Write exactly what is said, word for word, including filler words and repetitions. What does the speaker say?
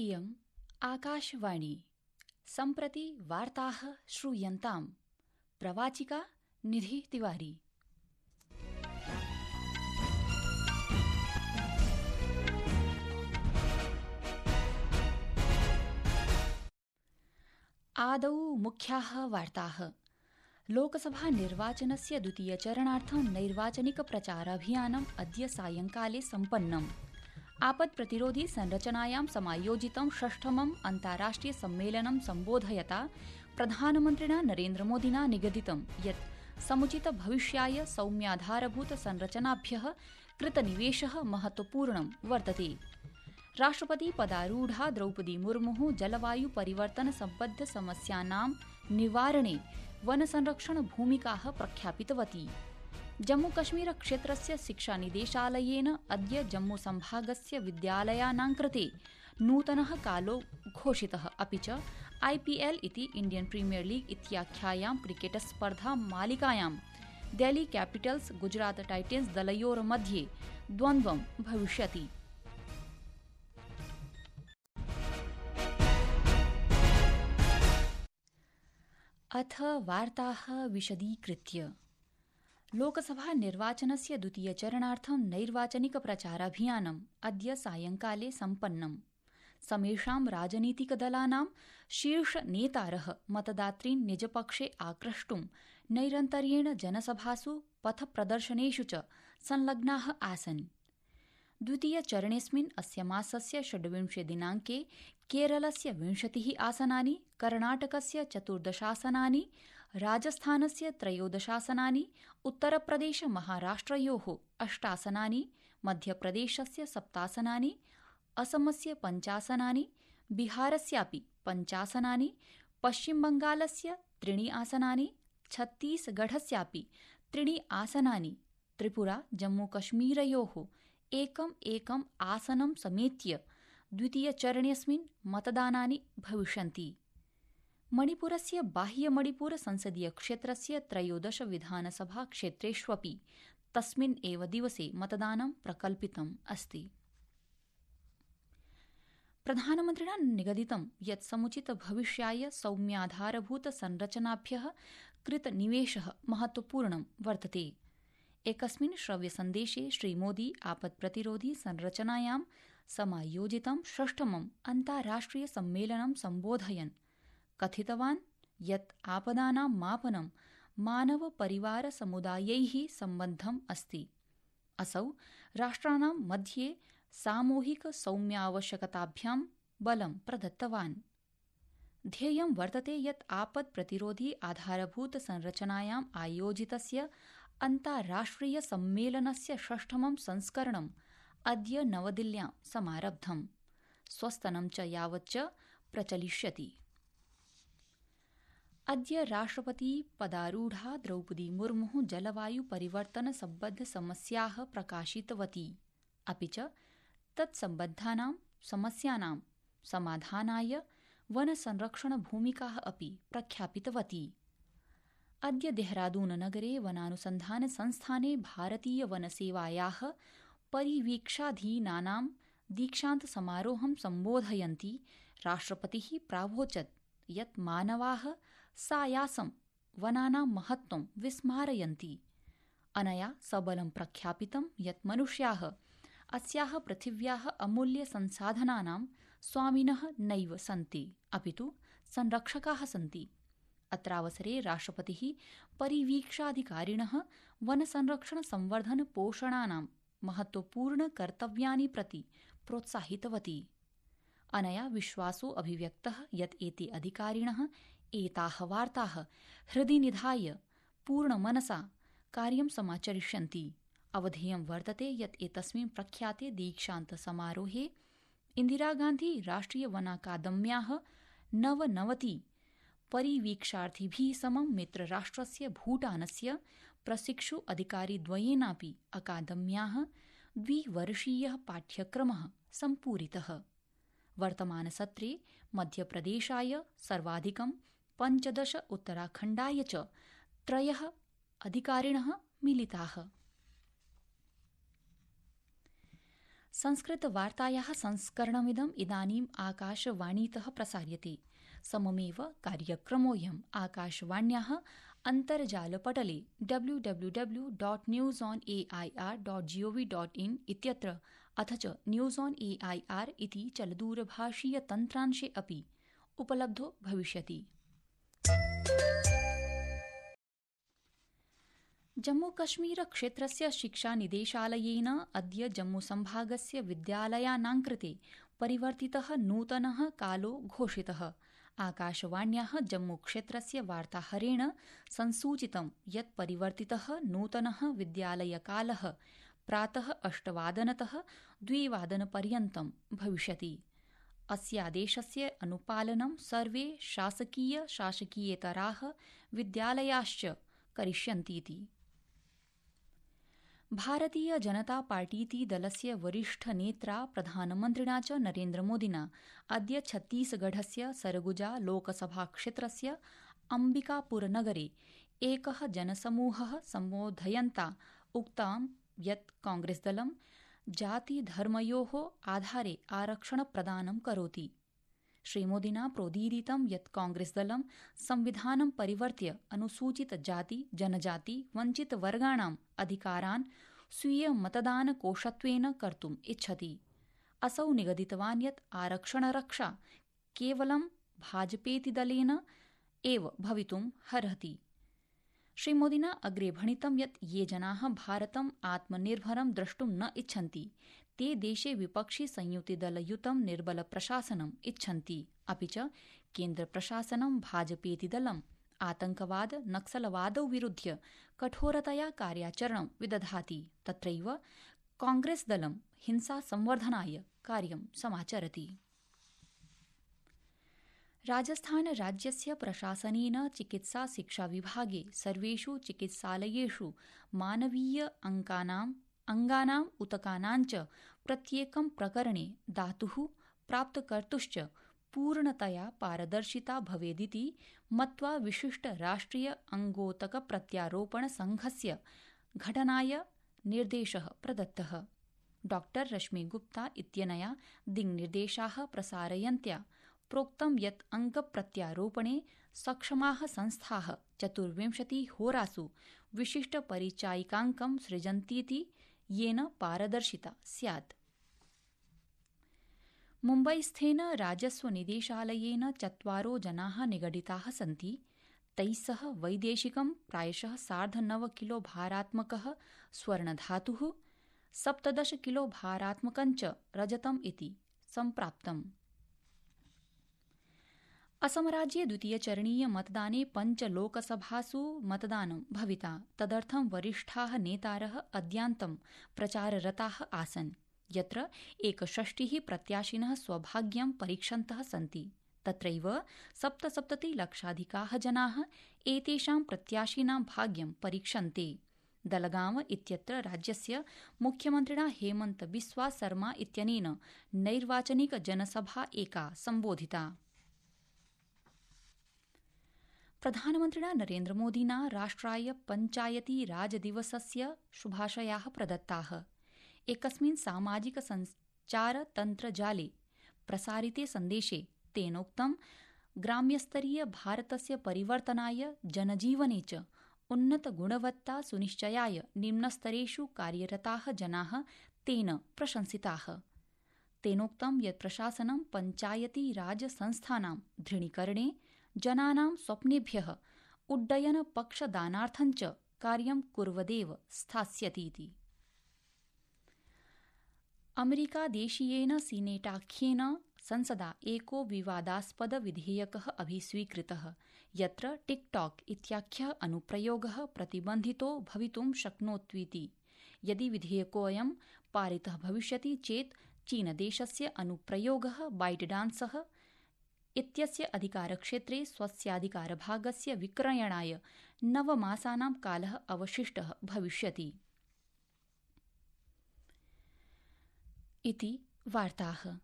इयम् आकाशवाणी। सम्प्रति वार्ताः श्रूयन्ताम्। प्रवाचिका निधि तिवारी। आदौ मुख्याः वार्ताः। लोकसभा निर्वाचनस्य द्वितीयचरणार्थं नैर्वाचनिक प्रचाराभियानम् अद्य सायंकाले सम्पन्नम्। आपत्प्रतिरोधी संरचनायां समायोजितं षष्ठमम् अन्ताराष्ट्रिय सम्मेलनं सम्बोधयता प्रधानमन्त्रिणा नरेन्द्रमोदिना निगदितं यत् समुचित भविष्याय सौम्याधारभूत संरचनाभ्यः कृतनिवेशः महत्वपूर्णं वर्तते। राष्ट्रपति पदारूढा द्रौपदी मुर्मुः जलवायु परिवर्तन सम्बद्ध समस्यानां निवारणे वनसंरक्षण भूमिकाः प्रख्यापितवती। जम्मूकश्मीर क्षेत्रस्य शिक्षानिदेशालयेन अद्य जम्मूसम्भागस्य विद्यालयानां कृते नूतनः कालो घोषितः। अपि च आईपीएल इति इण्डियन् प्रीमियर लीग इत्याख्यायां क्रिकेट स्पर्धा मालिकायां डेल्ही कैपिटल्स गुजरात टाइटन्स दलयोर्मध्ये द्वन्द्वं भविष्यति। अथ वार्ताः विशदीकृत्य। लोकसभा निर्वाचनस्य द्वितीयचरणार्थं नैर्वाचनिक प्रचाराभियानम् अद्य सायंकाले सम्पन्नम्। समेषां राजनीतिकदलानां शीर्षनेतारः मतदातॄन् निजपक्षे आक्रष्टुं नैरन्तर्येण जनसभासु पथप्रदर्शनेषु च संलग्नाः आसन्। द्वितीयचरणेऽस्मिन् अस्य मासस्य षड्विंशे दिनाङ्के केरलस्य विंशतिः आसनानि, कर्णाटकस्य चतुर्दशासनानि, राजस्थानस्य त्रयोदशासनानि, उत्तरप्रदेश महाराष्ट्रयोः अष्टासनानि, मध्यप्रदेशस्य सप्तासनानि, असमस्य पञ्चासनानि, बिहारस्यापि पञ्चासनानि, पश्चिमबङ्गालस्य त्रीणि आसनानि, छत्तीसगढस्यापि त्रीणि आसनानि, त्रिपुरा जम्मूकश्मीरयोः एकम् एकम् आसनं समेत्य द्वितीयचरणेऽस्मिन् मतदानानि भविष्यन्ति। मणिपुरस्य बाह्यमणिपुर संसदीयक्षेत्रस्य त्रयोदश विधानसभाक्षेत्रेष्वपि तस्मिन् एव दिवसे मतदानं प्रकल्पितम् अस्ति। प्रधानमन्त्रिणा निगदितं यत् समुचित भविष्याय सौम्याधारभूत संरचनाभ्यः कृतनिवेशः महत्वपूर्णं वर्तते। एकस्मिन् श्रव्यसन्देशे श्रीमोदी आपत्प्रतिरोधी संरचनायां समायोजितं षष्ठमम् अन्ताराष्ट्रिय सम्मेलनं सम्बोधयन् कथितवान् यत् आपदानां मापनं मानव परिवार समुदायैः सम्बद्धम् अस्ति। असौ राष्ट्राणां मध्ये सामूहिक सौम्यावश्यकताभ्यां बलं प्रदत्तवान्। ध्येयं वर्तते यत् आपत्प्रतिरोधी आधारभूत संरचनायाम् आयोजितस्य अन्ताराष्ट्रिय सम्मेलनस्य षष्ठमं संस्करणम् अद्य नवदिल्ल्यां समारब्धम्। स्वस्तनं च यावच्च प्रचलिष्यति। अद्य राष्ट्रपति पदारूढा द्रौपदी मुर्मुः जलवायु परिवर्तन सम्बद्ध समस्याः प्रकाशितवती। अपि च तत्सम्बद्धानां समस्यानां समाधानाय वनसंरक्षण भूमिकाः अपि प्रख्यापितवती। अद्य देहरादून नगरे वनानुसन्धान संस्थाने भारतीय वनसेवायाः परिवीक्षाधीनानां दीक्षान्त समारोहं सम्बोधयन्ती राष्ट्रपतिः प्रावोचत् यत् मानवाः सायासं वनानां महत्त्वं विस्मारयन्ति। अनया सबलं प्रख्यापितं यत् मनुष्याः अस्याः पृथिव्याः अमूल्य संसाधनानां स्वामिनः नैव सन्ति, अपितु संरक्षकाः सन्ति। अत्रावसरे राष्ट्रपतिः परिवीक्षाधिकारिणः वनसंरक्षण संवर्धन पोषणानां महत्वपूर्ण कर्तव्यानि प्रति प्रोत्साहितवती। अनया विश्वासो अभिव्यक्तः यत् एते अधिकारिणः एताः वार्ताः हृदि निधाय पूर्णमनसा कार्यं समाचरिष्यन्ति। अवधेयं वर्तते यत् एतस्मिन् प्रख्याते दीक्षान्त समारोहे इन्दिरागान्धी राष्ट्रिय वनाकादम्याः नवनवति परिवीक्षार्थिभिः समं मित्रराष्ट्रस्य भूटानस्य प्रशिक्षु अधिकारिद्वयेनापि अकादम्याः द्विवर्षीयः पाठ्यक्रमः सम्पूरितः। वर्तमानसत्रे मध्यप्रदेशाय सर्वाधिकं पञ्चदश, उत्तराखण्डाय च त्रयः अधिकारिणः मिलिताः। संस्कृतवार्तायाः संस्करणमिदम् इदानीम् आकाशवाणीतः प्रसार्यते। सममेव कार्यक्रमोऽयम् आकाशवाण्याः अन्तर्जालपटले W W W dot news on A I R dot G O V dot in इत्यत्र अथ च news on A I R इति चलदूरभाषीयतन्त्रांशे अपि उपलब्धो भविष्यति। जम्मूकश्मीरक्षेत्रस्य शिक्षानिदेशालयेन अद्य जम्मूसम्भागस्य विद्यालयानां कृते परिवर्तितः नूतनः कालो घोषितः। आकाशवाण्याः जम्मूक्षेत्रस्य वार्ताहरेण संसूचितं यत् परिवर्तितः नूतनः विद्यालयकालः प्रातः अष्टवादनतः द्विवादनपर्यन्तं भविष्यति। अस्यादेशस्य अनुपालनं सर्वे शासकीय शासकीयेतराः विद्यालयाश्च करिष्यन्तीति। भारतीय जनता पार्टीति दलस्य वरिष्ठनेत्रा प्रधानमन्त्रिणा च नरेन्द्रमोदिना अद्य छत्तीसगढस्य सरगुजा लोकसभाक्षेत्रस्य अम्बिकापुरनगरे एकः जनसमूहः सम्बोधयन्ता उक्तं यत् कांग्रेसदलं जातिधर्मयोः आधारे आरक्षणप्रदानं करोति। श्रीमोदिना प्रोदीरितं यत् कांग्रेसदलं संविधानं परिवर्त्य अनुसूचितजाति जनजाति वञ्चितवर्गाणाम् अधिकारान् स्वीयमतदानकोषत्वेन कर्तुम् इच्छति। असौ निगदितवान् यत् आरक्षणरक्षा केवलं भाजपेति दलेन एव भवितुम् अर्हति। श्रीमोदिना अग्रे भणितं यत् ये जनाः भारतम् आत्मनिर्भरं द्रष्टुं न इच्छन्ति ते देशे विपक्षि संयुतिदलयुतं निर्बलप्रशासनम् इच्छन्ति। अपि च केन्द्रप्रशासनं भाजपेति दलम् आतंकवाद नक्सलवादौ विरुध्य कठोरतया कार्याचरणं विदधाति। तत्रैव कांग्रेसदलं हिंसासंवर्धनाय कार्यं समाचरति। राजस्थानराज्यस्य प्रशासनेन चिकित्सा शिक्षाविभागे सर्वेषु चिकित्सालयेषु मानवीय अङ्कानाम् अङ्गानाम् उतकानां च प्रत्येकं प्रकरणे धातुः प्राप्तकर्तुश्च पूर्णतया पारदर्शिता भवेदिति मत्वा विशिष्ट राष्ट्रिय अङ्गोतक प्रत्यारोपण संघस्य घटनाय निर्देशः प्रदत्तः। डॉक्टर रश्मि गुप्ता इत्यनया दिङ्निर्देशाः प्रसारयन्त्या प्रोक्तं यत् अङ्गप्रत्यारोपणे सक्षमाः संस्थाः चतुर्विंशतिहोरासु विशिष्टपरिचायिकाङ्कं सृजन्तीति येन पारदर्शिता स्यात्। मुम्बईस्थेन राजस्वनिदेशालयेन चत्वारो जनाः निगडिताः सन्ति। तैः सह वैदेशिकं प्रायशः सार्धनव किलो भारात्मकः स्वर्णधातुः सप्तदश किलो भारात्मकञ्च रजतम् इति सम्प्राप्तम्। असमराज्ये द्वितीयचरणीय मतदाने पञ्च लोकसभासु मतदानं भविता। तदर्थं वरिष्ठाः नेतारः अद्यान्तं प्रचाररताः आसन्, यत्र एकषष्टिः प्रत्याशिनः स्वभाग्यं परीक्षन्तः सन्ति। तत्रैव सप्तसप्ततिलक्षाधिकाः जनाः एतेषां प्रत्याशिनां भाग्यं परीक्षन्ते। दलगांव इत्यत्र राज्यस्य मुख्यमन्त्रिणा हेमन्त बिस्वा सर्मा इत्यनेन नैर्वाचनिक जनसभा एका सम्बोधिता। प्रधानमन्त्रिणा नरेन्द्रमोदिना राष्ट्राय पञ्चायती राजदिवसस्य शुभाशयाः प्रदत्ताः। एकस्मिन् सामाजिक सञ्चारतन्त्रजाले प्रसारिते सन्देशे तेनोक्तं ग्राम्यस्तरीय भारतस्य परिवर्तनाय जनजीवने च उन्नतगुणवत्ता सुनिश्चयाय निम्नस्तरेषु कार्यरताः जनाः तेन प्रशंसिताः। तेनोक्तं यत् प्रशासनं पञ्चायती राज संस्थानां दृढीकरणे जनानां स्वप्नेभ्यः उड्डयनपक्षदानार्थञ्च कार्यं कुर्वदेव स्थास्यतीति। अमेरिकादेशीयेन सीनेटाख्येन संसदा एको विवादास्पद विधेयकः अभिस्वीकृतः, यत्र टिकटॉक इत्याख्यः अनुप्रयोगः प्रतिबन्धितो भवितुं शक्नोत्विति। यदि विधेयकोऽयं पारितः भविष्यति चेत् चीनदेशस्य अनुप्रयोगः बाइटडान्सः इत्यस्य अधिकारक्षेत्रे स्वस्याधिकारभागस्य विक्रयणाय नवमासानां कालः अवशिष्टः भविष्यति। इति वार्ताः।